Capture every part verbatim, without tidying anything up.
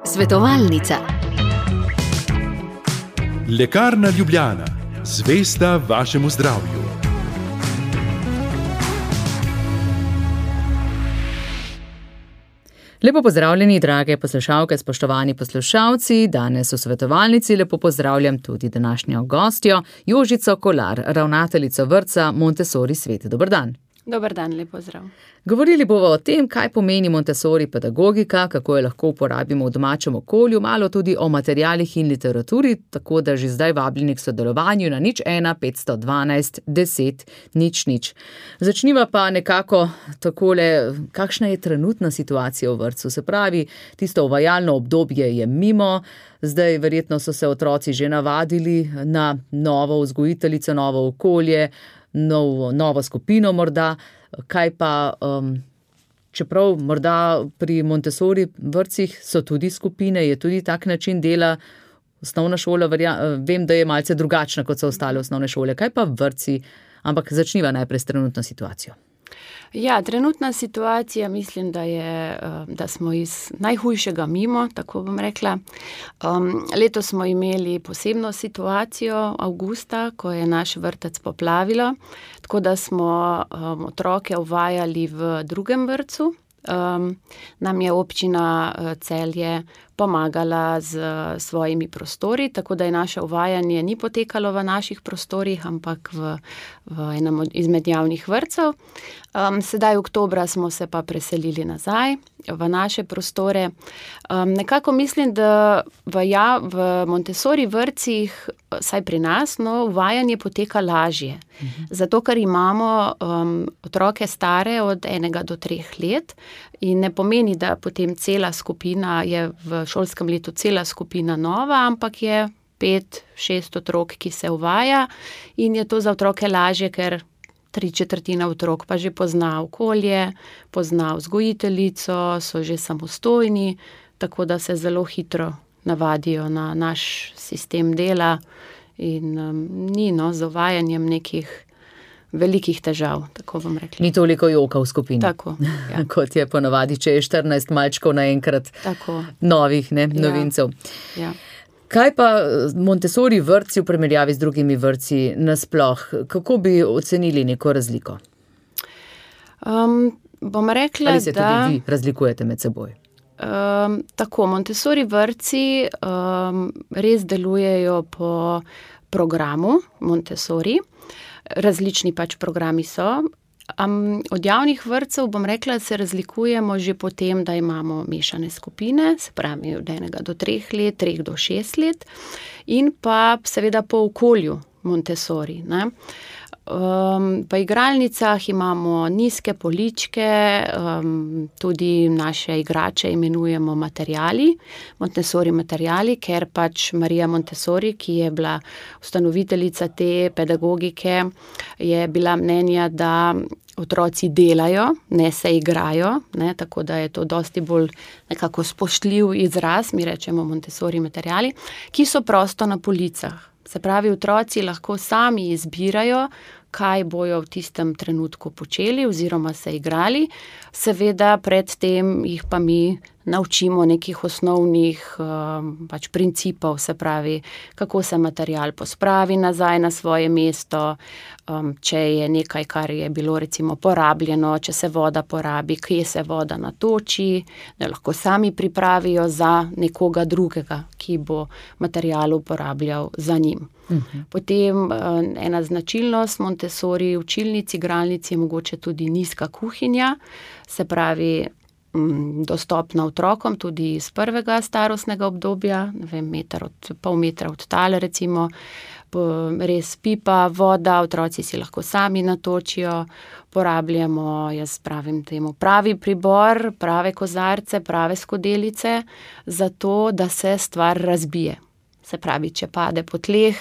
Svetovalnica. Lekarna Ljubljana, zvesta vašemu zdravju. Lepo pozdravljeni, drage poslušalke, spoštovani poslušalci. Danes v svetovalnici lepo pozdravljam tudi današnjo gostjo, Jožico Kolar, ravnateljico vrtca Montessori Svet. Dober dan. Dober dan, lep pozdrav. Govorili bomo o tem, kaj pomeni Montessori pedagogika, kako jo lahko uporabimo v domačem okolju, malo tudi o materialih in literaturi, tako da že zdaj vabljeni k sodelovanju na nič ena petsto dvanajst deset nič nič. Začniva pa nekako takole, kakšna je trenutna situacija v vrtcu. Se pravi, tisto uvajalno obdobje je mimo, zdaj verjetno so se otroci že navadili na novo vzgojiteljico, novo okolje, Novo, novo skupino morda, kaj pa, um, čeprav morda pri Montessori vrtcih so tudi skupine, je tudi tak način dela, osnovna šola, verja, vem, da je malce drugačna, kot so ostale osnovne šole, kaj pa vrtci, ampak začniva najprej s trenutno situacijo. Ja, trenutna situacija, mislim, da je, da smo iz najhujšega mimo, tako bom rekla. Um, letos smo imeli posebno situacijo avgusta, ko je naš vrtec poplavilo, tako da smo um, otroke uvajali v drugem vrtcu. Um, nam je občina Celje pomagala z svojimi prostori, tako da je naše uvajanje ni potekalo v naših prostorih, ampak v, v enem izmed javnih vrtcev. Um, sedaj oktobra smo se pa preselili nazaj v naše prostore. Um, nekako mislim, da v, ja, v Montessori vrtcih, saj pri nas, no, uvajanje poteka lažje. Mhm. Zato, ker imamo um, otroke stare od enega do treh let in ne pomeni, da potem cela skupina je v šolskem letu cela skupina nova, ampak je pet, šest otrok, ki se uvaja in je to za otroke lažje, ker tri četrtina otrok pa že pozna okolje, pozna vzgojiteljico, so že samostojni, tako da se zelo hitro navadijo na naš sistem dela in um, ni no, z uvajanjem nekih velikih težav, tako bom rekla. Ni toliko joka v skupini. Tako, ja. Kot je ponovadi, če je štirinajst malčkov naenkrat novih, ne, novincev. Ja. Ja. Kaj pa Montessori vrtci v primerjavi z drugimi vrtci nasploh? Kako bi ocenili neko razliko? Um, bom rekla, Ali se da... tudi vi razlikujete med seboj? Um, tako, Montessori vrtci um, res delujejo po programu Montessori. Različni pač programi so. Um, od javnih vrtcev, bom rekla, se razlikujemo že po tem, da imamo mešane skupine, se pravi od enega do treh let, treh do šest let in pa seveda po okolju Montessori, ne. Um, v igralnicah imamo nizke poličke, um, tudi naše igrače imenujemo materiali, Montessori materiali, ker pač Marija Montessori, ki je bila ustanoviteljica te pedagogike, je bila mnenja, da otroci delajo, ne se igrajo, ne, tako da je to dosti bolj nekako spoštljiv izraz, mi rečemo Montessori materiali, ki so prosto na policah. Se pravi, otroci lahko sami izbirajo, kaj bojo v tistem trenutku počeli oziroma se igrali. Seveda predtem jih pa mi naučimo nekih osnovnih um, pač principov, se pravi, kako se material pospravi nazaj na svoje mesto, um, če je nekaj, kar je bilo recimo porabljeno, če se voda porabi, kje se voda natoči, da lahko sami pripravijo za nekoga drugega, ki bo material uporabljal za njim. Uh-huh. Potem ena značilnost Montessori učilnic, igralnic je mogoče tudi nizka kuhinja, se pravi dostopna otrokom tudi iz prvega starostnega obdobja, ne vem, meter od, pol metra od tal recimo, res pipa, voda, otroci si lahko sami natočijo, porabljamo, jaz pravim temu, pravi pribor, prave kozarce, prave skodelice, zato da se stvar razbije. Se pravi, če pade po tleh,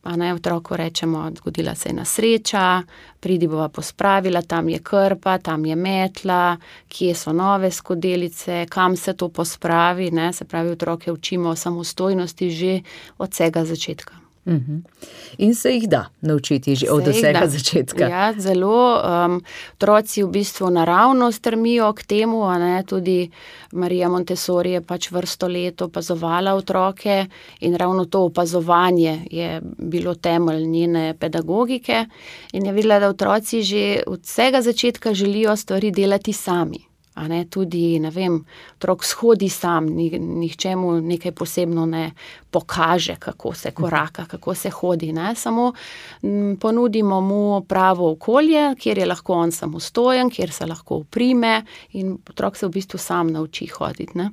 a ne, otroku rečemo, zgodila se je nesreča, pridi bova pospravila, tam je krpa, tam je metla, kje so nove skodelice, kam se to pospravi, ne, se pravi, otroke učimo o samostojnosti že od vsega začetka. Uh-huh. In se jih da naučiti že od vsega začetka. Ja, zelo. Um, otroci v bistvu naravno strmijo k temu, a ne, tudi Marija Montessori je pač vrsto let opazovala otroke in ravno to opazovanje je bilo temelj njene pedagogike in je videla, da otroci že od vsega začetka želijo stvari delati sami. A ne, tudi, ne vem, otrok shodi sam, nihče mu nekaj posebno ne pokaže, kako se koraka, kako se hodi, ne, samo m, ponudimo mu pravo okolje, kjer je lahko on samostojen, kjer se lahko uprime in otrok se v bistvu sam nauči hoditi, ne.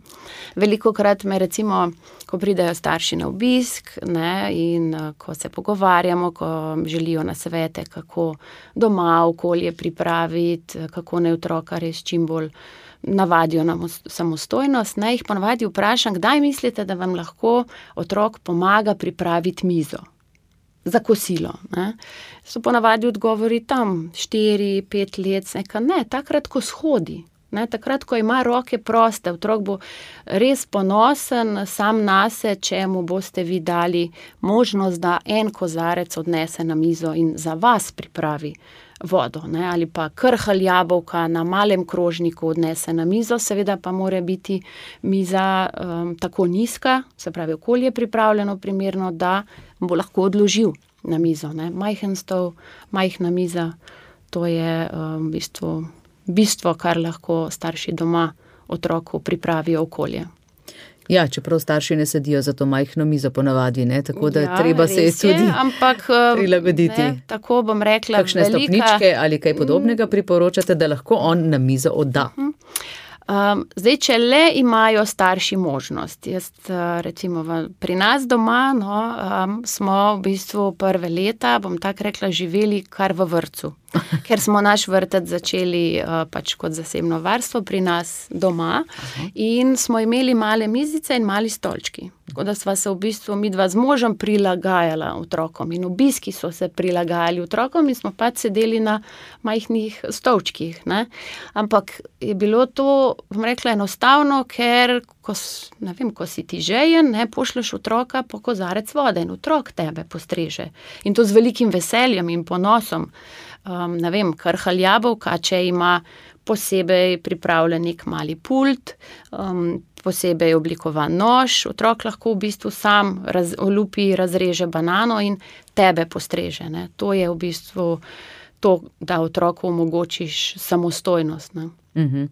Velikokrat me recimo, ko pridejo starši na obisk, ne, in ko se pogovarjamo, ko želijo nasvete, kako doma okolje pripraviti, kako naj otroka res čim bolj navadijo na samostojnost, ne, jih ponavadi vprašam, kdaj mislite, da vam lahko otrok pomaga pripraviti mizo za kosilo, ne. So ponavadi odgovori tam štiri, pet let, neka, ne, takrat, ko shodi, ne, takrat, ko ima roke proste, otrok bo res ponosen sam nase, če mu boste vi dali možnost, da en kozarec odnese na mizo in za vas pripravi vodo, ne, ali pa krhalj jabolka na malem krožniku odnese na mizo, seveda pa mora biti miza um, tako nizka, se pravi okolje pripravljeno primerno, da bo lahko odložil na mizo, ne. Majhen stol, majhna miza, to je um, v bistvu bistvo, kar lahko starši doma otroku pripravijo okolje. Ja, čeprav starši ne sedijo za to majhno mizo ponavadi, ne, tako da ja, treba se je tudi je, ampak, prilagoditi. Ne, tako bom rekla, kakšne velika... stopničke ali kaj podobnega priporočate, da lahko on na mizo odda. Um, zdaj, če le imajo starši možnost, jaz recimo v, pri nas doma, no, um, smo v bistvu prve leta, bom tako rekla, živeli kar v vrtcu. Ker smo naš vrtec začeli uh, pač kot zasebno varstvo pri nas doma. Aha. In smo imeli male mizice in mali stolčki. Tako da sva se v bistvu midva z možem prilagajala otrokom in obiski so se prilagajali otrokom in smo pač sedeli na majhnih stolčkih, ne. Ampak je bilo to, bom rekla, enostavno, ker ko, ne vem, ko si ti žejen, ne, pošleš otroka po kozarec vode in otrok tebe postreže. In to z velikim veseljem in ponosom. Um, ne vem, krhalj jabolka, če ima posebej pripravljen nek mali pult, um, posebej oblikovan nož, otrok lahko v bistvu sam raz, olupi, razreže banano in tebe postreže, ne. To je v bistvu to, da otroku omogočiš samostojnost, ne. Mhm.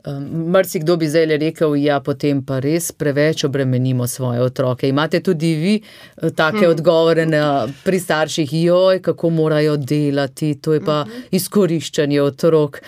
Um, marsikdo bi zdaj rekel, ja, potem pa res preveč obremenimo svoje otroke. Imate tudi vi take hmm. odgovore na, pri starših, joj, kako morajo delati, to je pa hmm. izkoriščanje otrok.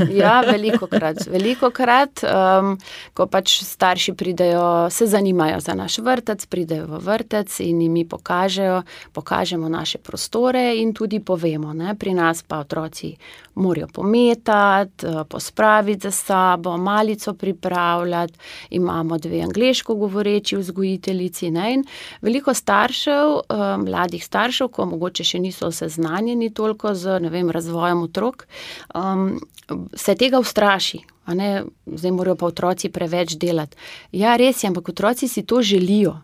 Ja, velikokrat. Velikokrat, um, ko pač starši pridejo, se zanimajo za naš vrtec, pridejo v vrtec in jim mi pokažejo, pokažemo naše prostore in tudi povemo, ne, pri nas pa otroci morajo pometati, pospraviti za sabo, malico pripravljati, imamo dve angleško govoreči vzgojiteljici, ne, in veliko staršev, mladih staršev, ko mogoče še niso seznanjeni toliko z, ne vem, razvojem otrok, um, se tega ustraši, a ne, zdaj morajo pa otroci preveč delati. Ja, res je, ampak otroci si to želijo.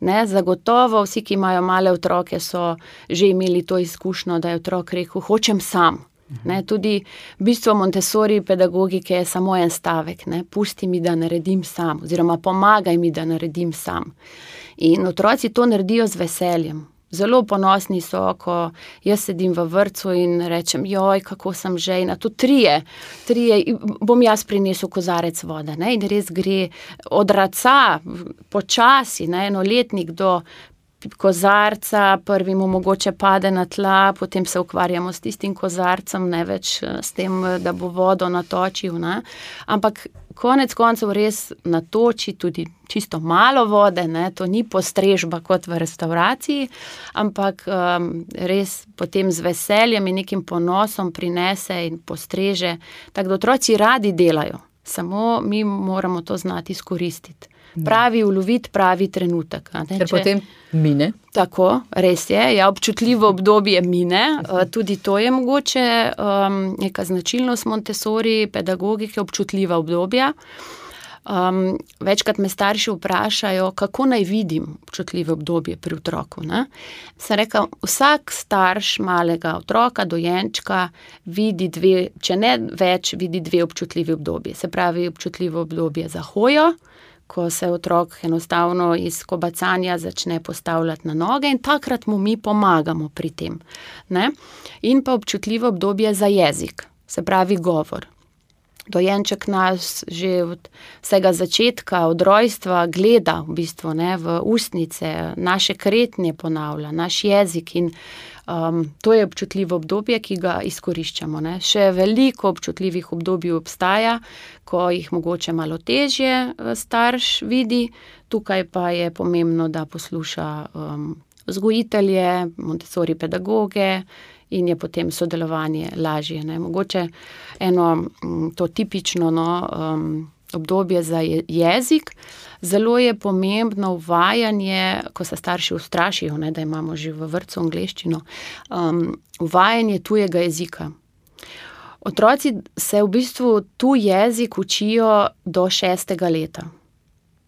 Ne, zagotovo vsi, ki imajo male otroke, so že imeli to izkušnjo, da je otrok rekel, hočem sam. Ne, tudi bistvo Montessori pedagogike je samo en stavek, ne, pusti mi, da naredim sam, oziroma pomagaj mi, da naredim sam. In otroci to naredijo z veseljem. Zelo ponosni so, ko jaz sedim v vrtcu in rečem, joj, kako sem žejna, to trije, trije, bom jaz prinesel kozarec vode, ne, in res gre od raca, počasi, ne, enoletnik do kozarca, prvi mu mogoče pade na tla, potem se ukvarjamo s tistim kozarcem, ne več s tem, da bo vodo natočil, ne. Ampak konec koncev res natoči tudi čisto malo vode, ne, to ni postrežba kot v restavraciji, ampak um, res potem z veseljem in nekim ponosom prinese in postreže, tako da otroci radi delajo, samo mi moramo to znati izkoristiti. Pravi uloviti pravi trenutek. Ker če... potem mine. Tako, res je. Ja, občutljivo obdobje mine. Tudi to je mogoče um, neka značilnost Montessori pedagogike, občutljiva obdobja. Um, večkrat me starši vprašajo, kako naj vidim občutljivo obdobje pri otroku. Ne? Sem rekla, vsak starš malega otroka, dojenčka, vidi dve, če ne več, vidi dve občutljivi obdobje. Se pravi, občutljivo obdobje za hojo, ko se otrok enostavno iz kobacanja začne postavljati na noge in takrat mu mi pomagamo pri tem. Ne? In pa občutljivo obdobje za jezik, se pravi govor. Dojenček nas že od vsega začetka, od rojstva gleda v bistvu, ne, v ustnice, naše kretnje ponavlja, naš jezik in um, to je občutljivo obdobje, ki ga izkoriščamo. Ne. Še veliko občutljivih obdobij obstaja, ko jih mogoče malo težje starš vidi, tukaj pa je pomembno, da posluša um, vzgojitelje, Montessori pedagoge, in je potem sodelovanje lažje. Ne. Mogoče eno to tipično no, um, obdobje za jezik. Zelo je pomembno uvajanje, ko se starši ustrašijo, ne, da imamo že v vrtcu angleščino, um, uvajanje tujega jezika. Otroci se v bistvu tuj jezik učijo do šestega leta.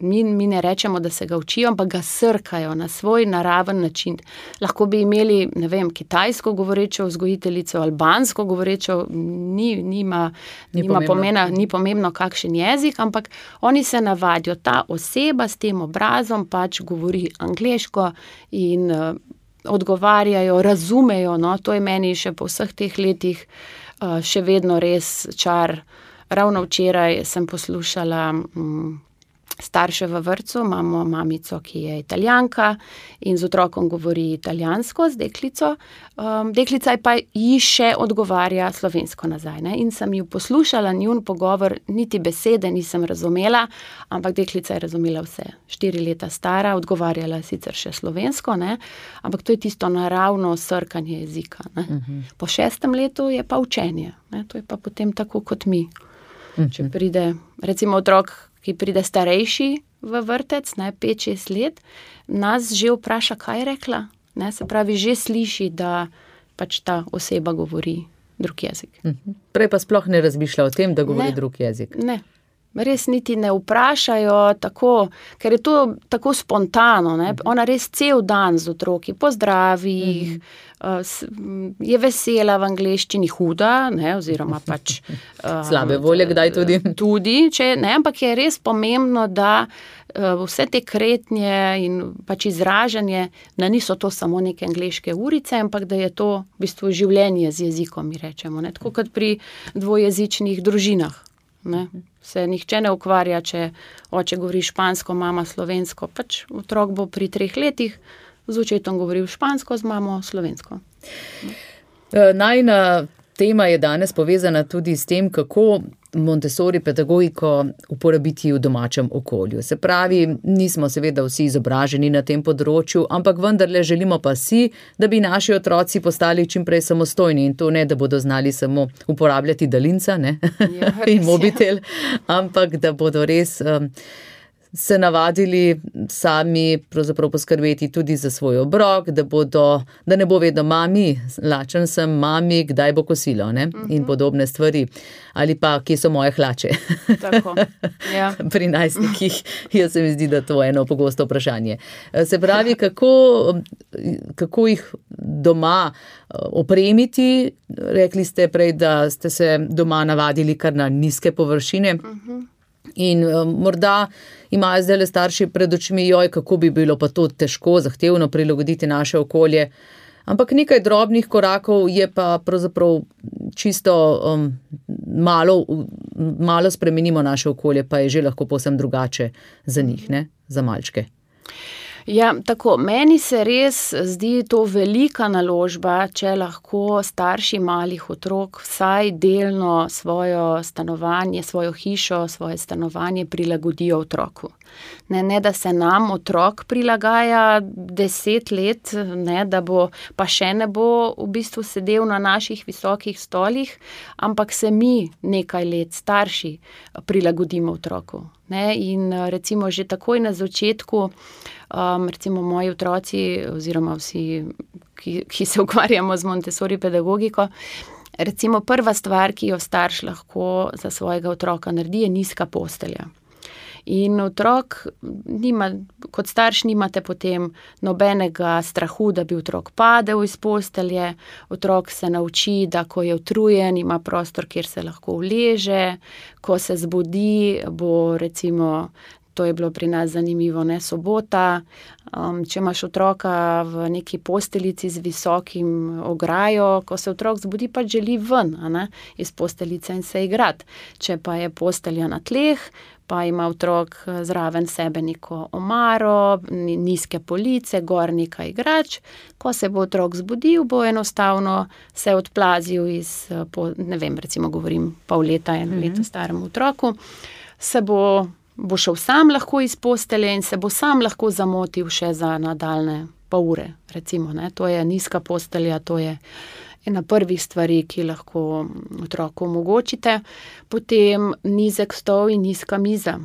Mi, mi ne rečemo, da se ga učijo, ampak ga srkajo na svoj naraven način. Lahko bi imeli, ne vem, kitajsko govorečo vzgojiteljico, albansko govorečo, ni, nima, ni, nima pomena, ni pomembno kakšen jezik, ampak oni se navadijo, ta oseba s tem obrazom pač govori angleško in uh, odgovarjajo, razumejo, no, to je meni še po vseh teh letih uh, še vedno res čar. Ravno včeraj sem poslušala um, starše v vrtcu, imamo mamico, ki je Italijanka in z otrokom govori italijansko, z deklico. Um, deklica pa ji še odgovarja slovensko nazaj. Ne? In sem ju poslušala, njun pogovor, niti besede nisem razumela, ampak deklica je razumela vse. Štiri leta stara, odgovarjala sicer še slovensko, ne? Ampak to je tisto naravno srkanje jezika. Ne? Uh-huh. Po šestem letu je pa učenje. Ne? To je pa potem tako kot mi. Uh-huh. Če pride, recimo otrok, ki pride starejši v vrtec, ne, pet šest let, nas že vpraša, kaj je rekla. Ne, se pravi, že sliši, da pač ta oseba govori drug jezik. Prej pa sploh ne razmišlja o tem, da govori ne, drug jezik. Ne, res niti ne vprašajo tako, ker je to tako spontano. Ne. Ona res cel dan z otroki pozdravi jih, mm. je vesela v angleščini, huda, ne, oziroma pač slabe volje, kdaj tudi. Tudi, če, ne, ampak je res pomembno, da vse te kretnje in pač izražanje, da niso to samo neke angleške urice, ampak da je to v bistvu življenje z jezikom, mi rečemo. Ne, tako kot pri dvojezičnih družinah. Ne. Se nihče ne ukvarja, če oče govori špansko, mama slovensko, pač otrok bo pri treh letih z očetom govoril špansko, z mamo slovensko. Najina tema je danes povezana tudi s tem, kako Montessori pedagogiko uporabiti v domačem okolju. Se pravi, nismo seveda vsi izobraženi na tem področju, ampak vendarle želimo pa si, da bi naši otroci postali čim prej samostojni in to ne, da bodo znali samo uporabljati daljinca, ne, ja, in mobitel, ampak da bodo res um, se navadili sami pravzaprav poskrbeti tudi za svoj obrok, da bodo, da ne bo vedno mami, lačen sem, mami, kdaj bo kosilo, ne? Uh-huh. In podobne stvari. Ali pa, kje so moje hlače? Tako, ja. Pri najstnikih, jaz se mi zdi, da to je eno pogosto vprašanje. Se pravi, kako, kako jih doma opremiti? Rekli ste prej, da ste se doma navadili kar na nizke površine. Uh-huh. In um, morda imajo zdaj le starši pred očmi, joj, kako bi bilo pa to težko, zahtevno prilagoditi naše okolje. Ampak nekaj drobnih korakov je pa pravzaprav čisto um, malo, malo spremenimo naše okolje, pa je že lahko povsem drugače za njih, ne? Za malčke. Ja, tako, meni se res zdi to velika naložba, če lahko starši malih otrok vsaj delno svojo stanovanje, svojo hišo, svoje stanovanje prilagodijo otroku. Ne, ne, da se nam otrok prilagaja deset let, ne, da bo, pa še ne bo v bistvu sedel na naših visokih stolih, ampak se mi nekaj let starši prilagodimo otroku. Ne, in recimo že takoj na začetku, um, recimo moji otroci oziroma vsi, ki, ki se ukvarjamo z Montessori pedagogiko, recimo prva stvar, ki jo starš lahko za svojega otroka naredi, je nizka postelja. In otrok nima, kot starš nimate potem nobenega strahu, da bi otrok padel iz postelje, otrok se nauči, da ko je utrujen, ima prostor, kjer se lahko uleže, ko se zbudi, bo recimo, to je bilo pri nas zanimivo, ne, sobota, um, če imaš otroka v neki posteljici z visokim ograjo, ko se otrok zbudi, pa želi ven, a ne, iz posteljice in se igrati. Če pa je postelja na tleh, pa ima otrok zraven sebe neko omaro, nizke police, gor nekaj igrač, ko se bo otrok zbudil, bo enostavno se odplazil iz, ne vem, recimo govorim pol leta, en mm-hmm. leto staremu otroku, se bo bo šel sam lahko iz postelje in se bo sam lahko zamotil še za nadaljne pol ure, recimo, ne. To je nizka postelja, to je ena prvih stvari, ki lahko otroku omogočite. Potem nizek stol in nizka miza.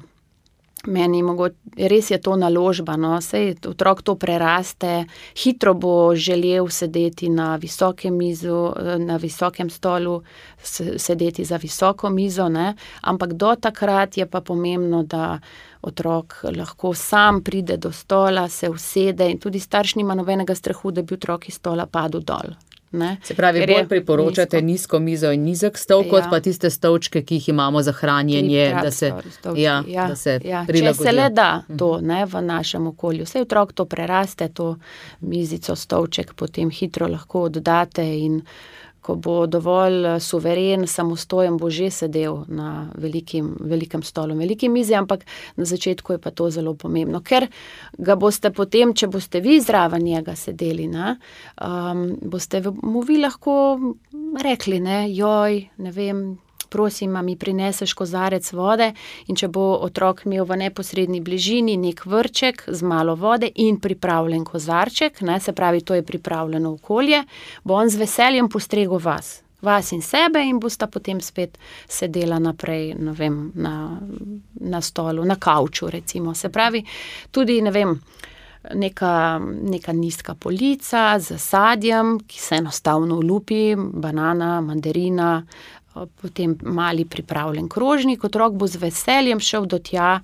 Meni mogo, res je to naložba, no, sej otrok to preraste, hitro bo želel sedeti na visokem mizu, na visokem stolu, sedeti za visoko mizo, ne, ampak do takrat je pa pomembno, da otrok lahko sam pride do stola, se usede in tudi starš nima nobenega strahu, da bi otrok iz stola padel dol. Ne? Se pravi, Ker bolj je priporočate nizko. nizko mizo in nizek stol, Ja. kot pa tiste stolčke, ki jih imamo za hranjenje, da se, Stolčki, ja, ja, da se ja. Če prilagodijo. se le da to, ne, v našem okolju. Saj otrok to preraste, to mizico, stolček potem hitro lahko oddate in ko bo dovolj suveren, samostojen, bo že sedel na velikim, velikem stolu, veliki mizi, ampak na začetku je pa to zelo pomembno, ker ga boste potem, če boste vi zraven njega sedeli, ne, um, boste mu vi lahko rekli, ne, joj, ne vem, prosim, a mi prineseš kozarec vode, in če bo otrok imel v neposredni bližini nek vrček z malo vode in pripravljen kozarček, ne, se pravi, to je pripravljeno okolje, bo on z veseljem postregel vas, vas in sebe in bosta potem spet sedela naprej, ne vem, na, na stolu, na kavču recimo. Se pravi, tudi, ne vem, neka, neka nizka polica z sadjem, ki se enostavno olupi, banana, mandarina, potem mali pripravljen krožnik, otrok bo z veseljem šel do tja,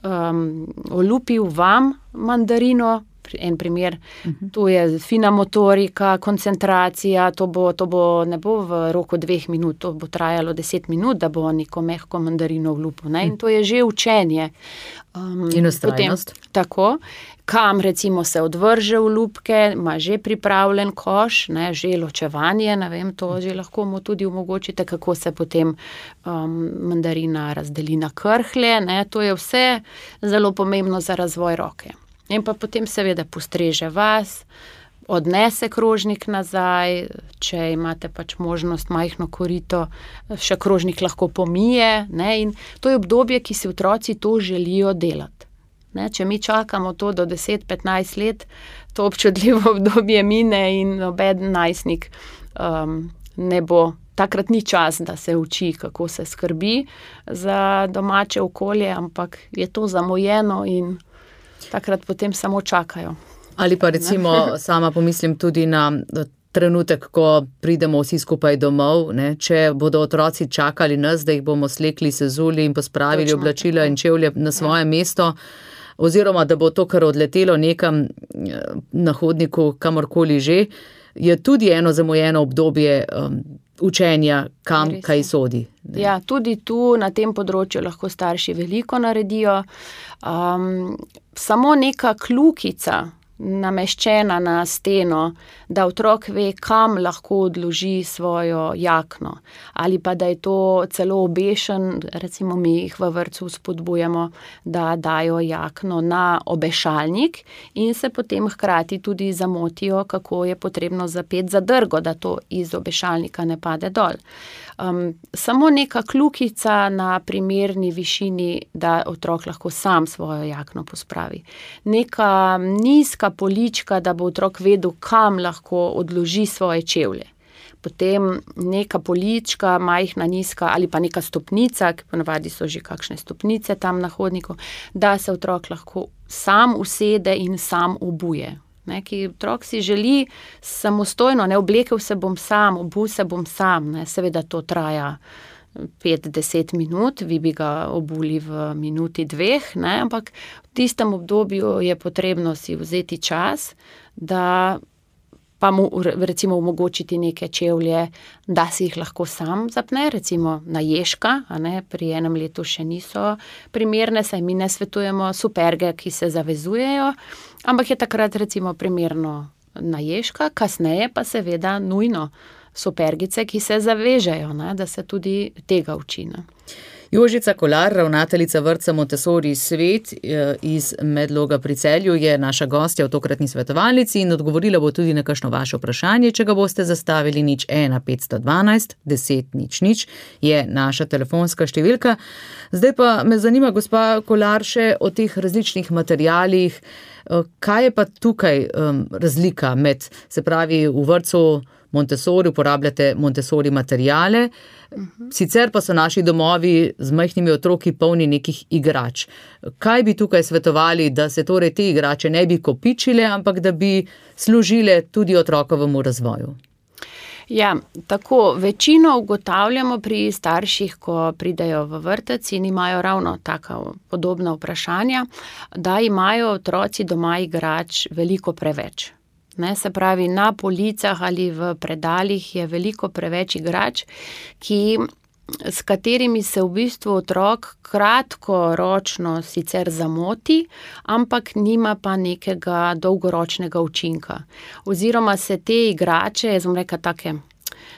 um, olupil vam mandarino, en primer, uh-huh. To je fina motorika, koncentracija, to bo, to bo, ne bo v roku dveh minut, to bo trajalo deset minut, da bo neko mehko mandarino olupil, ne, in to je že učenje. Um, in ustrajnost. Potem, tako, kam recimo se odvrže olupke, ima že pripravljen koš, ne, že ločevanje, ne vem, to že lahko mu tudi omogočite, kako se potem um, mandarina razdeli na krhlje, ne, to je vse zelo pomembno za razvoj roke. In pa potem seveda postreže vas, odnese krožnik nazaj, če imate pač možnost majhno korito, še krožnik lahko pomije, ne, in to je obdobje, ki si otroci to želijo delati. Ne, če mi čakamo to do deset petnajst let, to občutljivo obdobje mine in noben najstnik um, ne bo. Takrat ni čas, da se uči, kako se skrbi za domače okolje, ampak je to zamujeno in takrat potem samo čakajo. Ali pa recimo sama pomislim tudi na trenutek, ko pridemo vsi skupaj domov, ne, če bodo otroci čakali nas, da jih bomo slekli, sezuli in pospravili Točno, oblačila tako. in čevlje na svoje ja. mesto, oziroma da bo to, kar odletelo nekam na hodniku, kamorkoli že, je tudi eno zamujeno obdobje um, učenja, kam Res kaj je. sodi. Ne. Ja, tudi tu na tem področju lahko starši veliko naredijo. Um, samo neka kljukica nameščena na steno, da otrok ve, kam lahko odloži svojo jakno. Ali pa da je to celo obešen, recimo mi jih v vrtcu spodbujamo, da dajo jakno na obešalnik in se potem hkrati tudi zamotijo, kako je potrebno zapeti zadrgo, da to iz obešalnika ne pade dol. Um, samo neka kljukica na primerni višini, da otrok lahko sam svojo jakno pospravi. Neka nizka polička, da bo otrok vedel, kam lahko odloži svoje čevlje. Potem neka polička, majhna, nizka ali pa neka stopnica, ki ponavadi so že kakšne stopnice tam na hodniku, da se otrok lahko sam usede in sam obuje. Ne, ki otrok si želi samostojno, ne, oblekel se bom sam, obul se bom sam, ne, seveda to traja pet do deset minut, vi bi ga obuli v minuti dveh, ne? Ampak v tistem obdobju je potrebno si vzeti čas, da pa mu recimo omogočiti neke čevlje, da si jih lahko sam zapne, recimo na ježka, a ne, pri enem letu še niso primerne, saj mi ne svetujemo superge, ki se zavezujejo, ampak je takrat recimo primerno na ježka, kasneje pa seveda nujno supergice, ki se zavežejo, ne, da se tudi tega uči. Ne. Jožica Kolar, ravnateljica vrtca Montessori Svet iz Medloga pri Celju, je naša gostja v tokratni svetovalnici in odgovorila bo tudi na kakšno vaše vprašanje, če ga boste zastavili. Nič ena petsto dvanajst deset nič nič je naša telefonska številka. Zdaj pa me zanima, gospa Kolar, še o teh različnih materialih. Kaj je pa tukaj um, razlika med, se pravi, v vrtcu Montessori uporabljate Montessori materijale, sicer pa so naši domovi z majhnimi otroki polni nekih igrač. Kaj bi tukaj svetovali, da se torej te igrače ne bi kopičile, ampak da bi služile tudi otrokovemu razvoju? Ja, tako večino ugotavljamo pri starših, ko pridejo v vrtec in imajo ravno taka podobna vprašanja, da imajo otroci doma igrač veliko preveč. Ne, se pravi, na policah ali v predalih je veliko preveč igrač, ki, s katerimi se v bistvu otrok kratkoročno sicer zamoti, ampak nima pa nekega dolgoročnega učinka. Oziroma se te igrače, jaz bom rekla take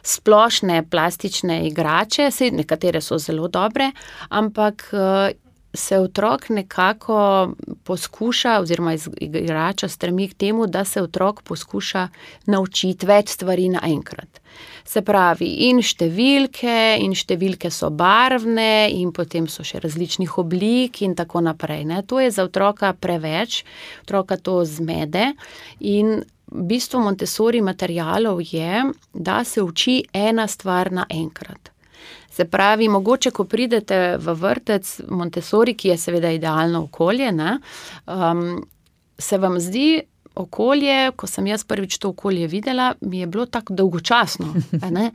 splošne plastične igrače, saj nekatere so zelo dobre, ampak se otrok nekako poskuša, oziroma igrača stremi k temu, da se otrok poskuša naučiti več stvari naenkrat. Se pravi, in številke, in številke so barvne, in potem so še različnih oblik in tako naprej. Ne? To je za otroka preveč, otroka to zmede in v bistvu Montessori materialov je, da se uči ena stvar naenkrat. Se pravi, mogoče, ko pridete v vrtec Montessori, ki je seveda idealno okolje, ne, um, se vam zdi okolje, ko sem jaz prvič to okolje videla, mi je bilo tako dolgočasno. Ne?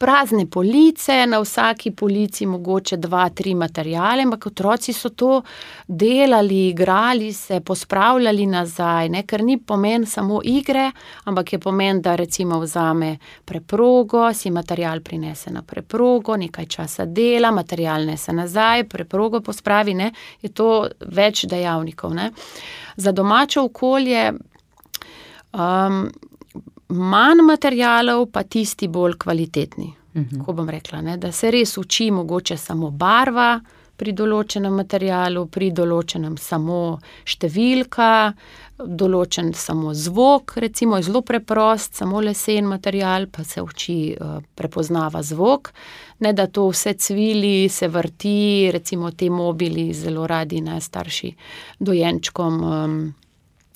Prazne police, na vsaki polici mogoče dva, tri materijale, ampak otroci so to delali, igrali se, pospravljali nazaj, ne? Ker ni pomen samo igre, ampak je pomen, da recimo vzame preprogo, si materijal prinese na preprogo, nekaj časa dela, materijal nese nazaj, preprogo pospravi, ne? Je to več dejavnikov. Ne? Za domače okolje um, manj materialov, pa tisti bolj kvalitetni. Uh-huh. Ko bom rekla, ne, da se res uči mogoče samo barva pri določenem materialu, pri določenem samo številka, določen samo zvok, recimo je zelo preprost, samo lesen material, pa se uči uh, prepoznava zvok, ne da to vse cvili, se vrti, recimo te mobili zelo radi, ne, starši dojenčkom um,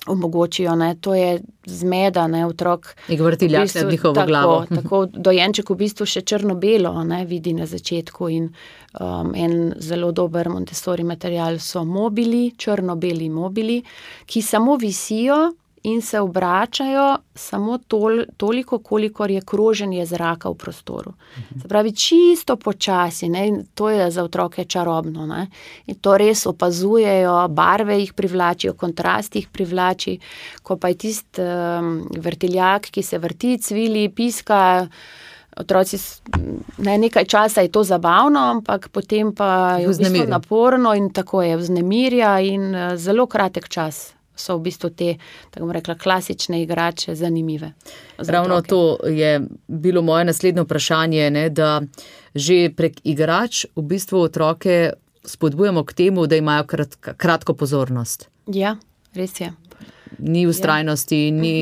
omogočijo, ne, to je zmeda, ne, otrok. In vrtiljak v bistvu, nad njihovo tako, glavo. Tako dojenček v bistvu še črno-belo, ne, vidi na začetku in um, en zelo dober Montessori material so mobili, črno-beli mobili, ki samo visijo in se obračajo samo tol, toliko, kolikor je kroženje zraka v prostoru. Se pravi, čisto počasi, ne, in to je za otroke čarobno, ne, in to res opazujejo, barve jih privlačijo, kontrast jih privlači, ko pa je tist um, vrtiljak, ki se vrti, cvili, piska, otroci, ne, nekaj časa je to zabavno, ampak potem pa je v bistvu naporno in tako je, vznemirja in uh, zelo kratek čas so v bistvu te, tako bom rekla, klasične igrače zanimive. Ravno to je bilo moje naslednje vprašanje, ne, da že prek igrač v bistvu otroke spodbujamo k temu, da imajo krat, kratko pozornost. Ja, res je. Ni ustrajnosti, ja. Ni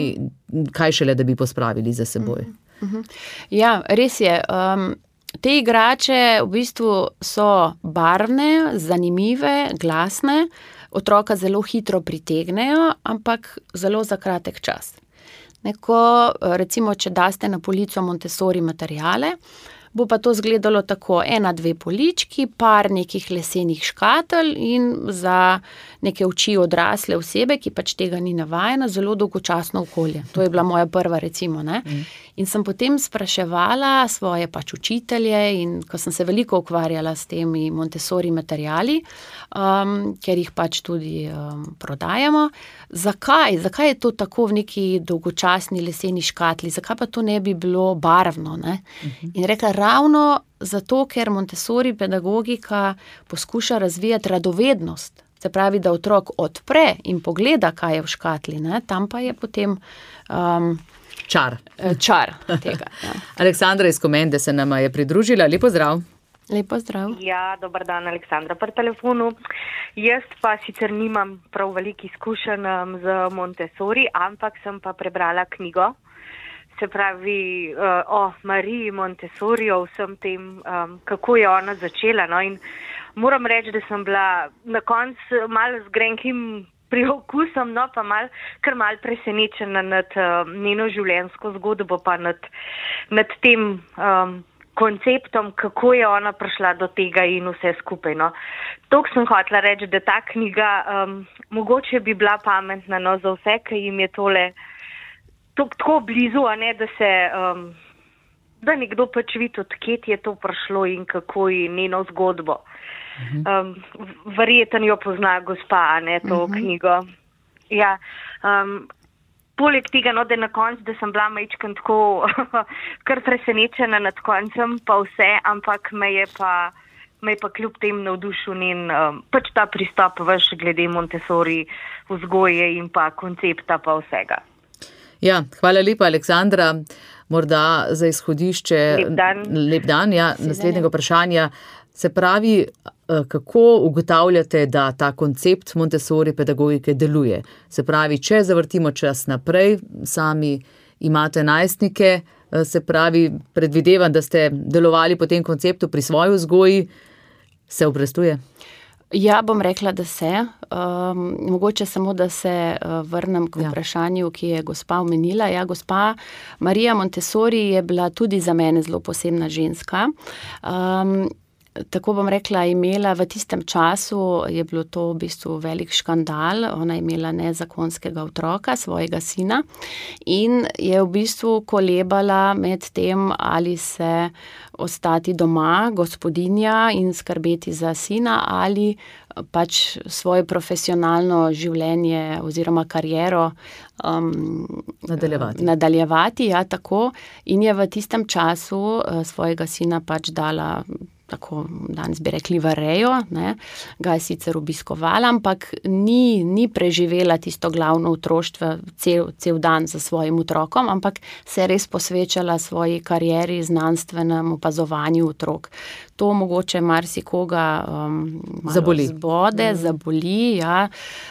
kaj šele, da bi pospravili za seboj. Uh-huh. Ja, res je. Um, te igrače v bistvu so barvne, zanimive, glasne, otroka zelo hitro pritegnejo, ampak zelo za kratek čas. Neko, recimo, če daste na polico Montessori materijale, bo pa to izgledalo tako, ena, dve polički, par nekih lesenih škatelj in za neke oči odrasle osebe, ki pač tega ni navajena, zelo dolgočasno okolje. To je bila moja prva, recimo, ne. In sem potem spraševala svoje pač učitelje in ko sem se veliko ukvarjala s temi Montessori materiali, um, ker jih pač tudi um, prodajamo, zakaj, zakaj je to tako v neki dolgočasni leseni škatli, zakaj pa to ne bi bilo barvno, ne? Uh-huh. In rekla, ravno zato, ker Montessori pedagogika poskuša razvijati radovednost, se pravi, da otrok odpre in pogleda, kaj je v škatli, ne? Tam pa je potem um, čar. čar tega. Ja. Aleksandra iz Komende se nama je pridružila, lepo zdrav. Lepo zdrav. Ja, dober dan, Aleksandra pri telefonu. Jaz pa sicer nimam prav veliko izkušenj z Montessori, ampak sem pa prebrala knjigo, se pravi uh, o Mariji Montessori, o vsem tem, um, kako je ona začela. No? In moram reči, da sem bila na koncu malo z grenkim priokusom, no pa mal, kar mal presenečena nad uh, njeno življenjsko zgodbo, pa nad, nad tem um, konceptom, kako je ona prišla do tega in vse skupaj. No. Tok sem hotela reči, da ta knjiga um, mogoče bi bila pametna, no, za vse, ki jim je tole tok, tako blizu, a ne, da se um, da nekdo pač vidi, odkje je to prišlo in kako je njeno zgodbo. Um, verjeten jo pozna gospa, a ne, to uh-huh. knjigo. Ja, um, poleg tega, no, da na koncu, da sem bila majčken tako kar presenečena nad koncem, pa vse, ampak me je pa, me je pa kljub tem navdušil njen um, pač ta pristop vaš glede Montessori vzgoje in pa koncepta pa vsega. Ja, hvala lepa, Aleksandra. Morda za izhodišče lep dan, lep dan ja, naslednjega vprašanja. Se pravi, kako ugotavljate, da ta koncept Montessori pedagogike deluje? Se pravi, če zavrtimo čas naprej, sami imate najstnike, se pravi, predvidevam, da ste delovali po tem konceptu pri svoji vzgoji, se obrestuje? Ja, bom rekla, da se. Um, mogoče samo, da se uh, vrnem k vprašanju, ki je gospa omenila. Ja, gospa Marija Montessori je bila tudi za mene zelo posebna ženska. Um, Tako bom rekla, imela v tistem času, je bilo to v bistvu velik škandal, ona je imela nezakonskega otroka, svojega sina in je v bistvu kolebala med tem, ali se ostati doma, gospodinja in skrbeti za sina ali pač svoje profesionalno življenje oziroma kariero um, nadaljevati. nadaljevati, ja, tako. In je v tistem času uh, svojega sina pač dala, tako danes bi rekli, v rejo, ne, ga je sicer obiskovala, ampak ni, ni preživela tisto glavno otroštvo cel, cel dan za svojim otrokom, ampak se je res posvečala svoji karieri, znanstvenemu opazovanju otrok. To mogoče marsikoga um, zaboli. zbode, mm. zaboli, ja,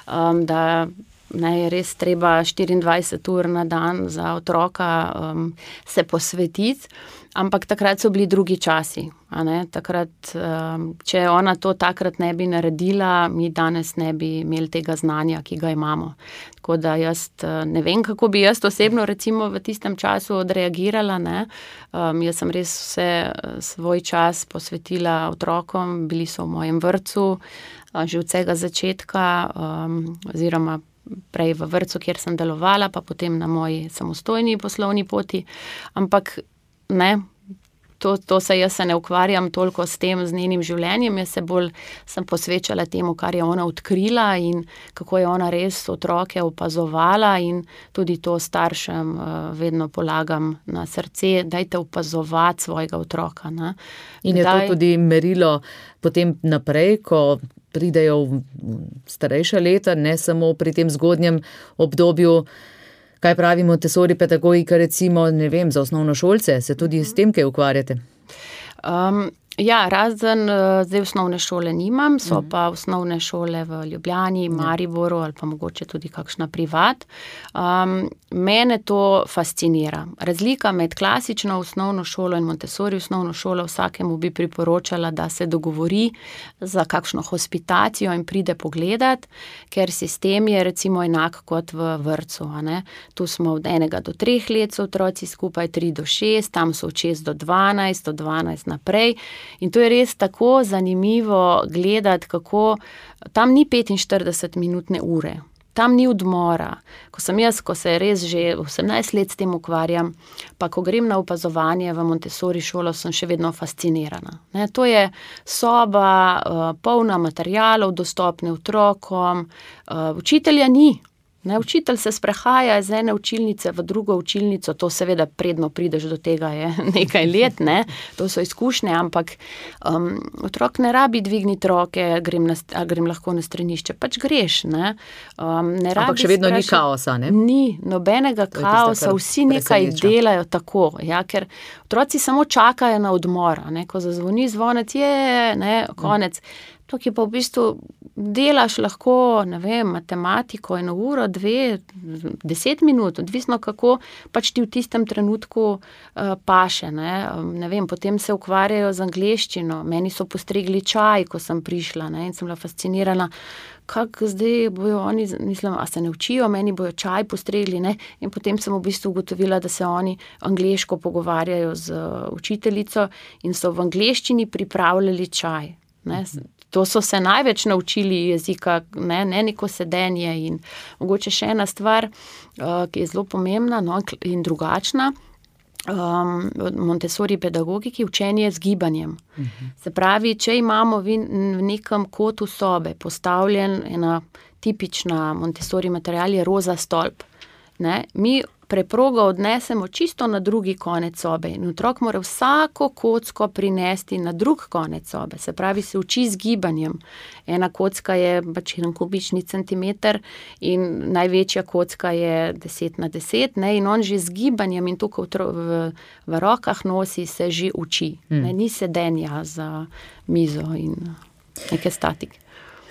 um, da ne, je res treba štiriindvajset ur na dan za otroka um, se posvetiti. Ampak takrat so bili drugi časi. A ne? Takrat, če ona to takrat ne bi naredila, mi danes ne bi imeli tega znanja, ki ga imamo. Tako da jaz ne vem, kako bi jaz osebno recimo v tistem času odreagirala. Ne? Um, jaz sem res vse svoj čas posvetila otrokom, bili so v mojem vrtcu, že od vsega začetka, um, oziroma prej v vrtcu, kjer sem delovala, pa potem na moji samostojni poslovni poti. Ampak ne, to, to se jaz se ne ukvarjam toliko s tem, z njenim življenjem, jaz se bolj sem posvečala temu, kar je ona odkrila in kako je ona res otroke opazovala in tudi to staršem uh, vedno polagam na srce, dajte opazovati svojega otroka. Ne. In je Daj... to tudi merilo potem naprej, ko pridejo v starejša leta, ne samo pri tem zgodnjem obdobju. Kaj pravi Montessori pedagogika, recimo, ne vem, za osnovnošolce? Se tudi s tem kaj ukvarjate? Um, Ja, razen zdaj osnovne šole nimam, so mm. pa osnovne šole v Ljubljani, Mariboru ali pa mogoče tudi kakšna privat. Um, mene to fascinira. Razlika med klasično osnovno šolo in Montessori osnovno šolo, vsakemu bi priporočala, da se dogovori za kakšno hospitacijo in pride pogledat, ker sistem je recimo enak kot v vrtcu. A ne? Tu smo od enega do treh let so otroci skupaj, tri do šest, tam so od šest do dvanajst, od dvanajst naprej. In to je res tako zanimivo gledati, kako tam ni petinštiridesetminutne ure, tam ni odmora. Ko sem jaz, ko se res že osemnajst let s tem ukvarjam, pa ko grem na opazovanje v Montessori šolo, sem še vedno fascinirana. Ne, to je soba, uh, polna materialov, dostopne otrokom, uh, učitelja ni. Ne, učitelj se sprehaja iz ene učilnice v drugo učilnico, to seveda predno prideš do tega je nekaj let, ne, to so izkušnje, ampak um, otrok ne rabi dvigniti roke, grem, na, grem lahko na stranišče, pač greš. Ne. Um, ne ampak še vedno sprašati, ni kaosa, ne? Ni, nobenega kaosa, vsi nekaj delajo tako, ja, ker otroci samo čakajo na odmor, ne, ko zazvoni zvonec, je, ne, konec. Tukaj pa v bistvu delaš lahko, ne vem, matematiko eno uro, dve, deset minut, odvisno kako pač ti v tistem trenutku uh, paše, ne. ne vem, potem se ukvarjajo z angleščino, meni so postregli čaj, ko sem prišla, ne, in sem bila fascinirana, kako zdaj bojo oni, mislim, a se ne učijo, meni bojo čaj postregli, ne, in potem sem v bistvu ugotovila, da se oni angleško pogovarjajo z učiteljico in so v angleščini pripravljali čaj, ne. To so se največ naučili jezika, ne, ne neko sedenje in mogoče še ena stvar, uh, ki je zelo pomembna, no, in drugačna, um, Montessori pedagogiki, učenje z gibanjem. Uh-huh. Se pravi, če imamo v nekem kotu sobe postavljen ena tipična Montessori material je roza stolp, ne, mi preprogo odnesemo čisto na drugi konec sobe in otrok mora vsako kocko prinesti na drug konec sobe, se pravi se uči z gibanjem. Ena kocka je pač en kubični centimeter in največja kocka je deset na deset, ne, in on že z gibanjem in to, ko v, v rokah nosi, se že uči. Hmm. Ne, ni sedenja za mizo in neke statike.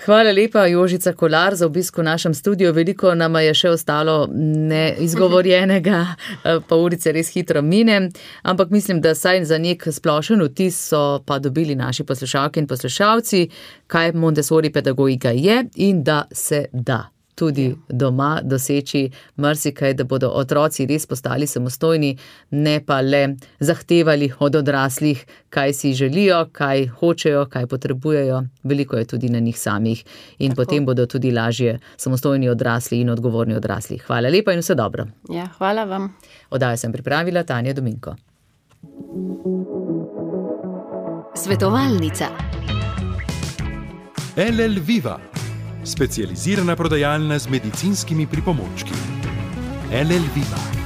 Hvala lepa, Jožica Kolar, za obisk v našem studiu. Veliko nama je še ostalo neizgovorjenega, pa urice res hitro mine, ampak mislim, da saj za nek splošen vtis so pa dobili naši poslušalke in poslušalci, kaj Montessori pedagogika je in da se da tudi doma doseči marsikaj, da bodo otroci res postali samostojni, ne pa le zahtevali od odraslih, kaj si želijo, kaj hočejo, kaj potrebujejo. Veliko je tudi na njih samih in Tako. Potem bodo tudi lažje samostojni odrasli in odgovorni odrasli. Hvala lepa in vse dobro. Ja, hvala vam. Oddajo sem pripravila Tanja Dominko. Svetovalnica. L L Viva. Specializirana prodajalna z medicinskimi pripomočki. L L Viva.